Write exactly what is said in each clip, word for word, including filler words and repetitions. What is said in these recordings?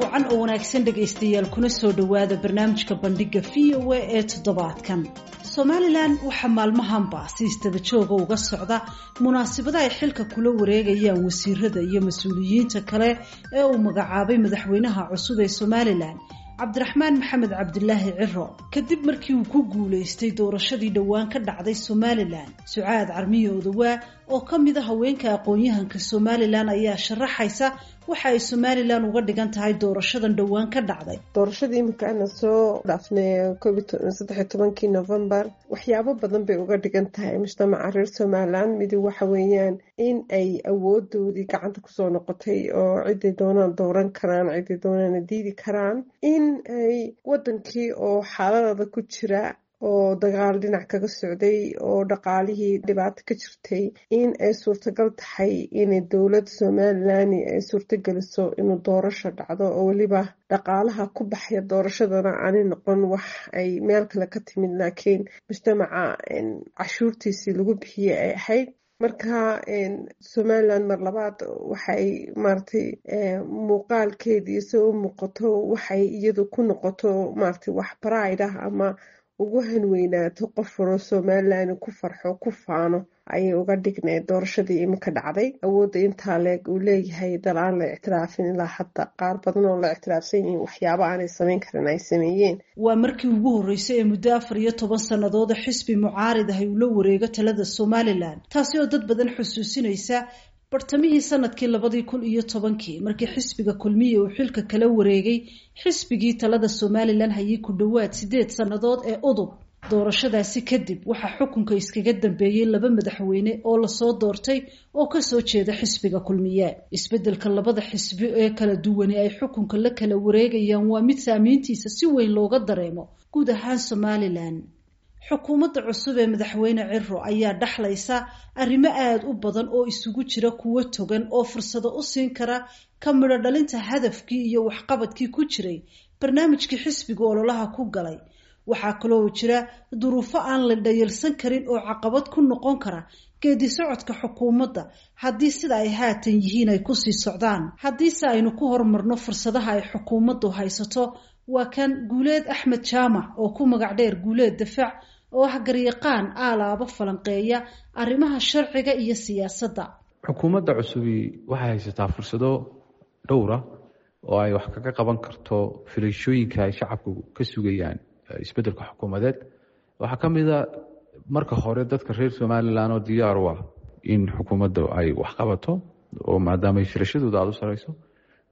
Wacan oo wanaagsan, dhegaystayaal, kuna soo dhowaada barnaamijka Bandhiga V O A ee toddobaadkan. Somalilan waxaa maalmahanba si isdaba jooga uga socda munaasabada ay xilka kula wareegayaan wasiirada iyo mas-uuliyiinta kale ee uu magacaabay madaxweynaha cusub ee Somalilan, Cabdiraxmaan Maxamed Cabdilaahi Ciro, kadib markii uu ku guulaystay doorashadii dhowaan ka dhacday Somalilan. Sucaad Carmiye Odawaa oo ka mid a haweenka aqoon-yahanka Somalilan ayaa sharaxaysa waxa ay Somalilan uga dhigan tahay doorashadan dhowaan ka dhacday. Doorashadii iminka ana soo dhaafnay, saddexiyo tobankii Novembar, waxyaabo badan bay uga dhigan tahay mujtamaca reer Somalilan. Midi waxa weeyaan in ay awoodoodii gacanta kusoo noqotay oo ciday doonaan dooran karaan, ciday doonaana diidi karaan, in ay wadankii oo xaaladada ku jira oo dagaal dhinac kaga socday oo dhaqaalihii dhibaato ka jirtay, in ay suurtagal tahay inay dowlad Somalilan ay suurtageliso inuu doorasho dhacdo, oo weliba dhaqaalaha ku baxaya doorashadana aanay noqon wax ay meel kale ka timid, laakiin mujtamaca cashuurtiisii lagu bixiyey ay ahayd. Marka Somalilan mar labaad waxay maaragtay muuqaalkeedii se u muuqato, waxay iyadu ku noqoto maaragtay wax pride ah ama ugu hanweynaato, qof waroo Somalilan ku farxo, ku faano ayay uga dhigneed doorashadii iminka dhacday. Awoodda intaa leeg uu leeyahay dal aan la ictiraafin ilaa hadda, qaar badan oo la ictiraafsan yihiin waxyaaba aanay samayn karin ay sameeyeen. Waa markii ugu horreysay ee muddo afar iyo toban sanadooda xisbi mucaarid ahay uu la wareego talada Somalilan, taasi oo dad badan xusuusinaysa bartamihii sanadkii labadii kun iyo tobankii markii xisbiga Kulmiye uu xilka kala wareegay xisbigii talada Somalilan hayay ku dhowaad sideed sannadood ee UDUB. Doorashadaasi kadib waxaa xukunka iskaga dambeeyey laba madaxweyne oo lasoo doortay oo kasoo jeeda xisbiga Kulmiye. Isbedelka labada xisbi ee kala duwani ay xukunka la kala wareegayaan waa mid saamiintiisa si weyn looga dareemo guud ahaan Somalilan. Xukuumadda cusub ee madaxweyne Ciro ayaa dhaxlaysa arrimo aada u badan oo isugu jira kuwo togan oo fursado u siin kara ka midho dhalinta hadafkii iyo waxqabadkii ku jiray barnaamijkii xisbiga ololaha ku galay. Waxaa kaloo jira duruufo aan la dhayalsan karin oo caqabad ku noqon kara geedi socodka xukuumadda haddii sida ay haatan yihiin ay kusii socdaan. Haddiise aynu ku horumarno fursadaha ay xukuumaddu haysato, waa kan Guuleed Axmed Jaamac oo ku magac dheer Guuleed Dafac, oo ah garyaqaan aalaabo falanqeeya arrimaha sharciga iyo siyaasadda. Xukuumadda cusubi waxay haysataa fursado dhowra oo ay wax kaga qaban karto filashooyinka ay shacabku ka sugayaan isbeddelka xukuumadeed. Waxaa ka mid a, marka hore, dadka reer Somalilan oo diyaar u ah in xukuumadda ay wax qabato, oo maadaama ay filashadooda aada u sareyso.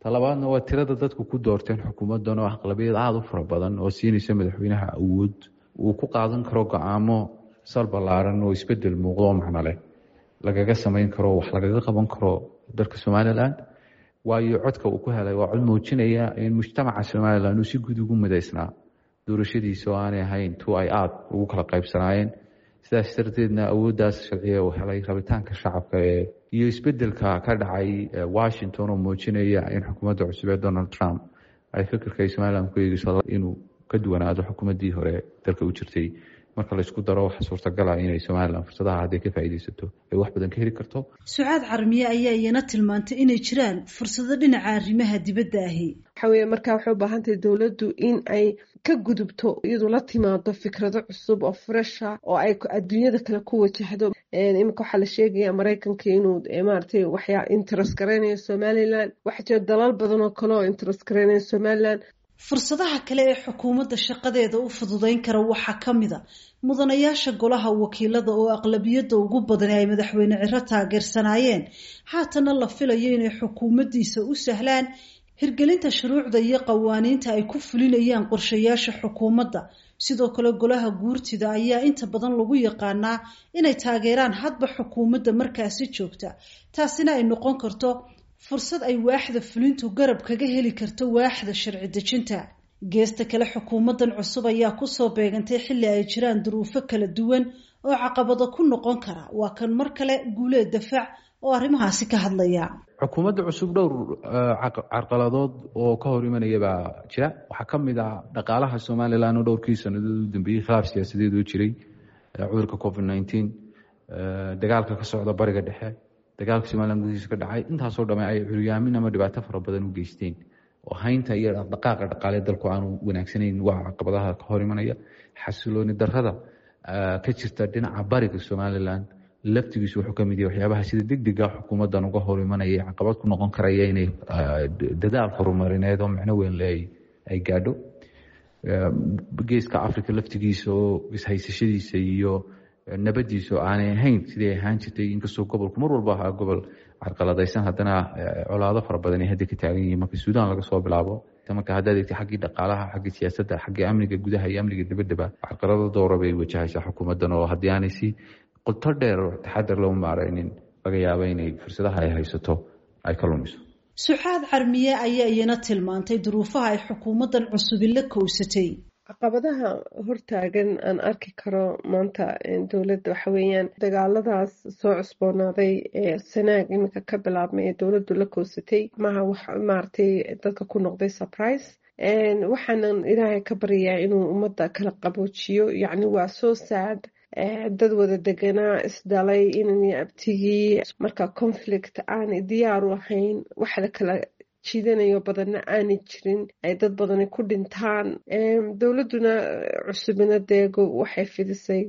Talabaadna waa tirada dadku ku doorteen xukuumaddan oo aqlabiyad aada u fara badan oo siinaysa madaxweynaha awood uu ku qaadan karo go-aamo sal ballaaran oo isbedel muuqdo oo macno leh lagaga samayn karo, wax lagaga qaban karo dalka Somalilan, waayo codka uu ku helay waa cod muujinaya in mujtamaca Somalilan uu si guud ugu midaysnaa doorashadiisa oo aanay ahayn tu ay aada ugu kala qaybsanaayeen. Sidaas darteedna awooddaas sharciga uu helay, rabitaanka shacabka ee iyo isbedelka ka dhacay Washington oo muujinaya in xukuumadda cusub ee Donald Trump ay fikirka ay Somalilan ku eegeyso inuu ka duwanaado xukuumaddii hore dalka u jirtay, marka laysku daro, waxa suurtagala inay Somalilan fursadaha hadday ka faa'iidaysato ay wax badan ka heli karto. Sucaad Carmiye ayaa iyana tilmaantay inay jiraan fursado dhinaca arrimaha dibadda ahi. Waxa weeye, markaa waxay u baahan tahay dowladdu in ay ka gudubto, iyadu la timaado fikrado cusub oo fresh ah oo ay adduunyada kale ku wajahdo. Iminka waxaa la sheegaya Maraykanka inuu maaragtay waxyaa interest garaynayo Somaliland. Waxaa jira dalal badan oo kale oo interest garaynayo Somaliland. Fursadaha kale ee xukuumadda shaqadeeda u fududeyn kara waxaa ka mid a mudanayaasha golaha wakiilada oo aqlabiyadda ugu badan ay madaxweyne Ciro taageersanaayeen, haatana la filayo inay xukuumaddiisa u sahlaan hirgelinta shuruucda iyo qawaaniinta ay ku fulinayaan qorshayaasha xukuumadda. Sidoo kale golaha guurtida ayaa inta badan lagu yaqaanaa inay taageeraan hadba xukuumadda markaasi joogta, taasina ay noqon karto fursad ay waaxda fulintu garab kaga heli karto waaxda sharci dejinta. Geesta kale, xukuumaddan cusub ayaa kusoo beegantay xilli ay jiraan duruufo kala duwan oo caqabado ku noqon kara. Waa kan mar kale Guuleed Dafac oo arrimahaasi ka hadlaya. Xukuumadda cusub dhowr carqaladood oo ka hor imanaya baa jira. Waxaa ka mid ah dhaqaalaha Somalilan oo dhowrkii sanadood u dambeeyey khilaaf siyaasadeed oo jiray, cudurka covid nineteen, dagaalka ka socda Bariga Dhexe, dagaalka Somalilan gudihiisa ka dhacay, intaasoo dhame ay curyaamin ama dhibaato fara badan u geysteen Oo haynta iyo dhaqdhaqaaqa dhaqaale dalku aanu wanaagsanayn waa caqabadaha ka hor imanaya. Xasilooni darrada ka jirta dhinaca bariga Somaliland laftigiisu wuxuu ka mid yahay waxyaabaha sida degdega xukuumaddan uga hor imanaya, caqabad ku noqon karaya inay dadaal horumarineed oo micno weyn le ay gaadho. Geeska Africa laftigiisa oo ishaysashadiisa iyo nabadiisa oo aanay ahayn sidii ahaan jirtay, inkastoo gobolku mar walba ahaa gobol carqaladaysan, haddana colaado fara badan ay hadda ka taagan yihiin marka Suudaan laga soo bilaabo. Marka haddaad eegtay xaggii dhaqaalaha, xaggii siyaasadda, xaggii amniga gudaha iyo amniga dibaddaba, carqalado doora bay wajahaysaa xukuumaddan, oo haddii aanay si qoto dheer oo taxadar loo maaraynin laga yaabo inay fursadaha ay haysato ay ka lumiso. Suxaad Carmiye ayaa iyana tilmaantay duruufaha ay xukuumaddan cusubi la kowsatay. Caqabadaha hortaagan aan arki karo maanta dowladda waxa weeyaan dagaaladaas soo cusboonaaday ee Sanaag iminka ka bilaabmay ee dowladdu la koosatay. Maha wax maaragtay dadka ku noqday surprise. Waxaanan Ilaahay ka baryayaa inuu ummadda kala qaboojiyo. Yacni waa soo sad, dad wada deganaa, isdhalay, inan abtigii, marka conflict aanay diyaar u ahayn, wax la kala jiidanayo badanna aanay jirin, ay dad badani ku dhintaan. Dowladduna cusubina dee waxay fidisay,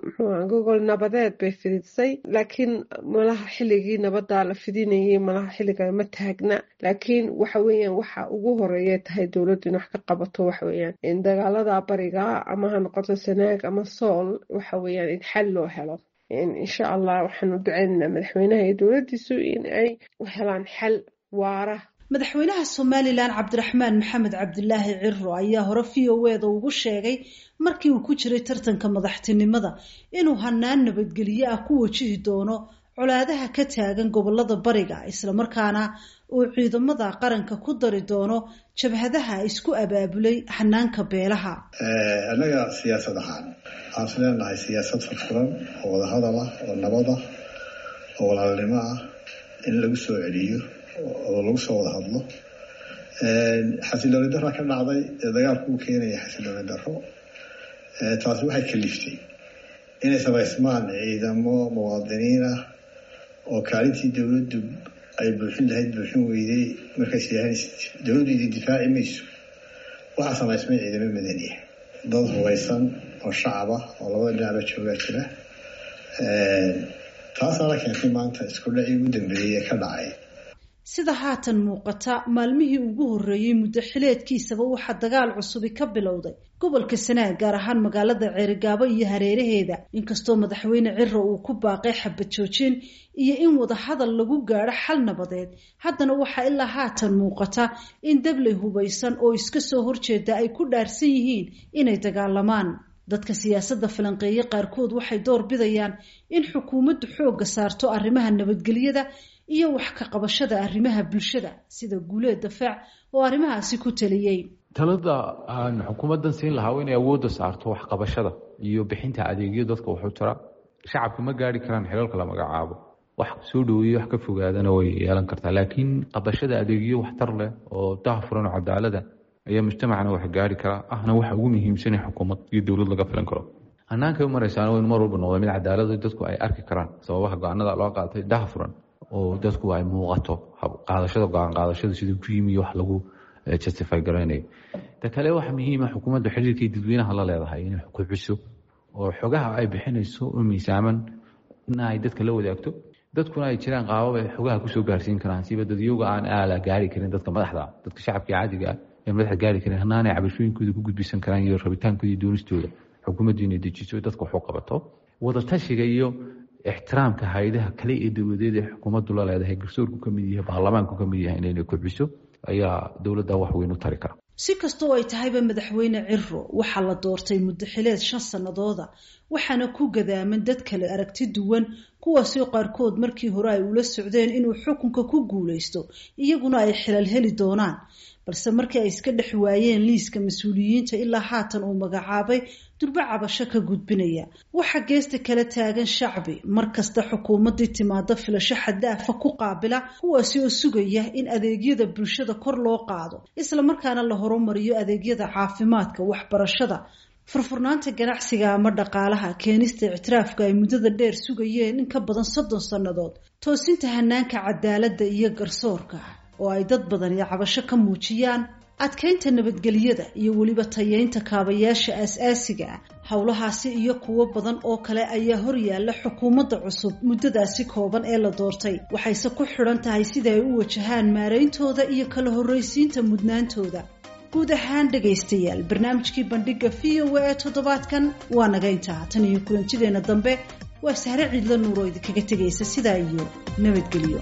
muxuuha, gogol nabadeed bay fidisay, laakiin malaha xilligii nabaddaa la fidinayay malaha xilliga ma taagna. Laakiin waxa weeyaan waxa ugu horeeya tahay dowladdu in wax ka qabato waxa weeyaan in dagaalada bariga, ama ha noqoto Sanaag ama Sool, waxa weeyaan in xal loo helo. Insha Allah waxaanu duceynaynaa madaxweynaha iyo dowladdiisu in ay u helaan xal waara. Madaxweynaha Somalilan Cabdiraxmaan Maxamed Cabdilaahi Ciro ayaa hore V O E da ugu sheegay markii uu ku jiray tartanka madaxtinimada inuu hanaan nabadgelyo ah ku wajihi doono colaadaha ka taagan gobolada bariga, islamarkaana uu ciidamada qaranka ku dari doono jabhadaha isku abaabulay hanaanka beelaha. Annaga siyaasad ahaan waxaan is leenahay siyaasad furfuran oo wadahadal ah oo nabad ah oo walaalnimo ah in lagu soo celiyo oo lagu soo wada hadlo. Xasilooni darra ka dhacday ee dagaalku u keenaya xasilooni darro, taasi waxay kaliftay inay samaysmaan ciidamo muwaadiniin ah oo kaalintii dowladdu ay buuxin lahayd buuxin weyday. Markays yidhahdeen dowladdu idin difaaci mayso, waxaa samaysmay ciidamo madaniya, dad hubaysan oo shacab ah oo labada dhinacba joogaa jira. Taasaa la keentay maanta isku dhacii ugu dambeeyey ee ka dhacay. Sida haatan muuqata, maalmihii ugu horreeyey muddo xileedkiisaba waxaa dagaal cusubi ka bilowday gobolka Sanaag, gaar ahaan magaalada Ceerigaabo iyo hareeraheeda. Inkastoo madaxweyne Ciro uu ku baaqay xabad joojin iyo in wadahadal lagu gaadho xal nabadeed, haddana waxaa ilaa haatan muuqata in dabley hubaysan oo iska soo horjeeda ay ku dhaarsan yihiin inay dagaalamaan. Dadka siyaasadda falanqeeye qaarkood waxay door bidayaan in xukuumaddu xoogga saarto arrimaha nabadgelyada iyo wax ka qabashada arrimaha bulshada, sida Guuleed Dafaac oo arrimahaasi ku taliyey. Talada aan xukuumaddan siin lahaa waa inay awoodda saarto waxqabashada iyo bixinta adeegyo dadka waxu tara. Shacabka ma gaari karaan xilalka la magacaabo, wax soo dhoweeye wax ka fogaadana way yeelan kartaa, laakiin qabashada adeegyo waxtar leh oo daahfuran oo cadaalada ayaa mujtamacana wax gaari karaa, ahna waxa ugu muhiimsan xukuumad iyo dowlad laga filan karo. Hanaanka u maraysaana waa in mar walba noqda mid cadaalad dadku ay arki karaan sababaha go-aanada loo qaatay, daahfuran oo dadku ay muuqato qaadashada go-aan qaadashada siduu ku yimi iyo wax lagu justify garaynayo. Ta kale waxa muhiima xukuumaddu xiriirkii dadweynaha la leedahay inay kobciso oo xogaha ay bixinayso u miisaaman in ay dadka la wadaagto, dadkuna ay jiraan qaabab ay xogaha kusoo gaarsiin karaan, siba dadyoga aan aala gaari karin dadka madaxda, dadka shacabka caadiga ah ee madaxda gaari karin, hanaanay cabashooyinkooda ku gudbisan karaan iyo rabitaankooda iyo doonistooda. Xukuumaddu inay dejiso dadka waxu qabato, wadatashiga iyo ixtiraamka hay-adaha kale ee dowladeed ee xukuumaddu la leedahay, garsoorku ka mid yahay, baarlamaanku ka mid yahay, inayna kobciso ayaa dowladda wax weyn u tari kara. Si kasta oo ay tahayba, madaxweyne Ciro waxaa la doortay muddo xileed shan sanadooda, waxaana ku gadaaman dad kale aragti duwan, kuwaasoo qaarkood markii hore ay ula socdeen inuu xukunka ku guuleysto iyaguna ay xilal heli doonaan, balse markii ay iska dhex waayeen liiska mas-uuliyiinta ilaa haatan uu magacaabay durbo cabasho ka gudbinaya. Waxaa geesta kala taagan shacbi mar kasta xukuumaddii timaado filasho xaddaafa ku qaabila, kuwaasi oo sugaya in adeegyada bulshada kor loo qaado, islamarkaana la horumariyo adeegyada caafimaadka, waxbarashada, furfurnaanta ganacsiga ama dhaqaalaha, keenista ictiraafka ay muddada dheer sugayeen in ka badan soddon sannadood, toosinta hanaanka cadaaladda iyo garsoorka. oo ay dad badani cabasho ka muujiyaan, adkaynta nabadgelyada iyo weliba tayeynta kaabayaasha aas-aasiga ah. Howlahaasi iyo kuwo badan oo kale ayaa horyaalla xukuumadda cusub muddadaasi kooban ee la doortay, waxayse ku xidhan tahay sida ay u wajahaan maarayntooda iyo kala horraysiinta mudnaantooda. Guud ahaan dhegaystayaal, barnaamijkii bandhiga V O A ee toddobaadkan waa naga intaa. Tan iyo kulantideena dambe, waa Sahre Ciidla Nuur oo idinkaga tegaysa sidaa iyo nabadgelyo.